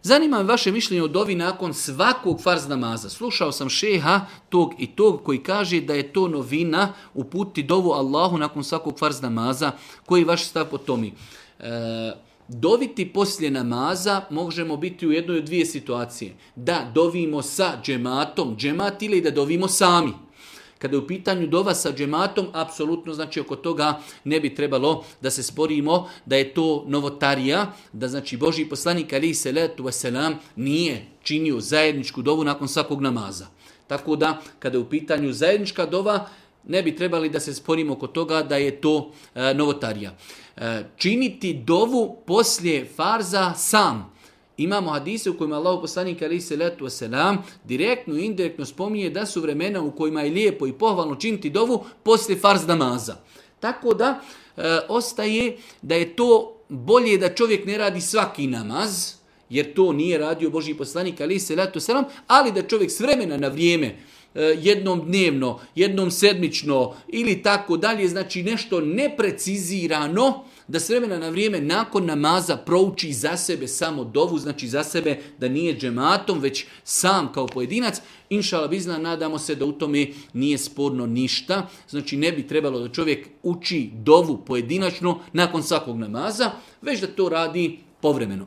Zanima me vaše mišljenje o dovi nakon svakog farz namaza. Slušao sam šeha tog i tog koji kaže da je to novina uputiti dovu Allahu nakon svakog farz namaza. Koji je vaš stav po tome? Doviti poslije namaza možemo biti u jednoj od dvije situacije. Da dovimo sa džematom, džemat ili da dovimo sami. Kada je u pitanju dova sa džematom, apsolutno znači oko toga ne bi trebalo da se sporimo da je to novotarija, da znači Božji poslanik alejhi selatu vesselam nije činio zajedničku dovu nakon svakog namaza. Tako da kada je u pitanju zajednička dova, ne bi trebali da se sporimo oko toga da je to novotarija. Činiti dovu poslije farza sam. Imamo hadise u kojima Allahu poslanik alejhi selatu vesselam direktno i indirektno spominje da su vremena u kojima je lijepo i pohvalno činiti dovu poslije farz namaza. Tako da ostaje da je to bolje da čovjek ne radi svaki namaz, jer to nije radio Božji poslanik alejhi selatu vesselam, ali da čovjek s vremena na vrijeme, jednom dnevno, jednom sedmično ili tako dalje, znači nešto neprecizirano, da s vremena na vrijeme nakon namaza prouči za sebe samo dovu, znači za sebe da nije džematom, već sam kao pojedinac. Inšala bizna, nadamo se da u tome nije sporno ništa. Znači ne bi trebalo da čovjek uči dovu pojedinačno nakon svakog namaza, već da to radi povremeno.